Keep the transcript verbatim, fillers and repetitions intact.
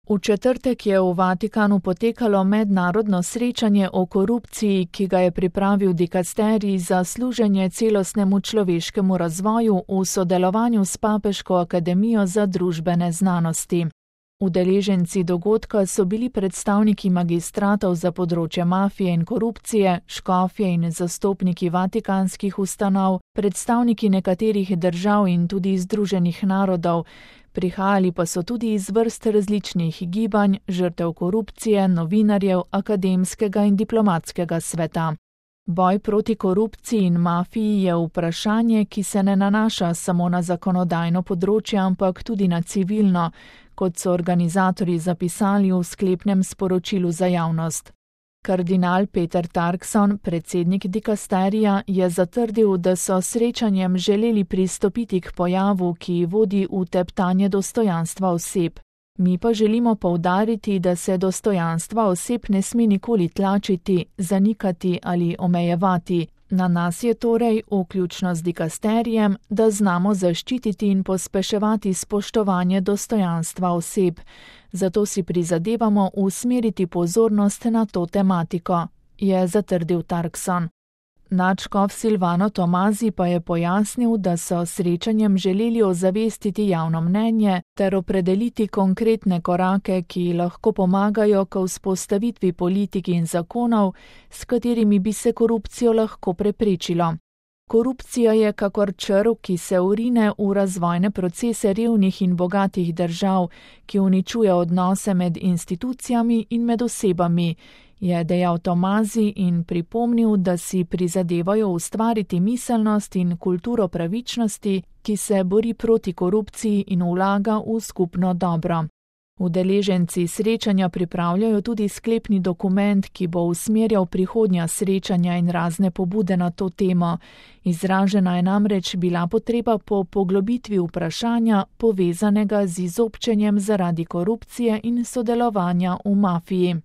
V četrtek je v Vatikanu potekalo mednarodno srečanje o korupciji, ki ga je pripravil dikasterij za služenje celostnemu človeškemu razvoju v sodelovanju s Papeško akademijo za družbene znanosti. Udeleženci dogodka so bili predstavniki magistratov za področje mafije in korupcije, škofje in zastopniki vatikanskih ustanov, predstavniki nekaterih držav in tudi Združenih narodov. Prihajali pa so tudi iz vrst različnih gibanj, žrtev korupcije, novinarjev, akademskega in diplomatskega sveta. Boj proti korupciji in mafiji je vprašanje, ki se ne nanaša samo na zakonodajno področje, ampak tudi na civilno, kot so organizatorji zapisali v sklepnem sporočilu za javnost. Kardinal Peter Turkson, predsednik dikasterija, je zatrdil, da so srečanjem želeli pristopiti k pojavu, ki vodi v teptanje dostojanstva oseb. Mi pa želimo poudariti, da se dostojanstva oseb ne sme nikoli tlačiti, zanikati ali omejevati. Na nas je torej, vključno z dikasterijem, da znamo zaščititi in pospeševati spoštovanje dostojanstva oseb. Zato si prizadevamo usmeriti pozornost na to tematiko, je zatrdil Turkson. Nadškof Silvano Tomazi pa je pojasnil, da so srečanjem želeli ozavestiti javno mnenje ter opredeliti konkretne korake, ki lahko pomagajo k vzpostavitvi politik in zakonov, s katerimi bi se korupcijo lahko preprečilo. Korupcija je kakor črv, ki se vrine v razvojne procese revnih in bogatih držav, ki uničuje odnose med institucijami in med osebami, je dejal Tomazi in pripomnil, da si prizadevajo ustvariti miselnost in kulturo pravičnosti, ki se bori proti korupciji in vlaga v skupno dobro. Udeleženci srečanja pripravljajo tudi sklepni dokument, ki bo usmerjal prihodnja srečanja in razne pobude na to temo. Izražena je namreč bila potreba po poglobitvi vprašanja, povezanega z izobčenjem zaradi korupcije in sodelovanja v mafiji.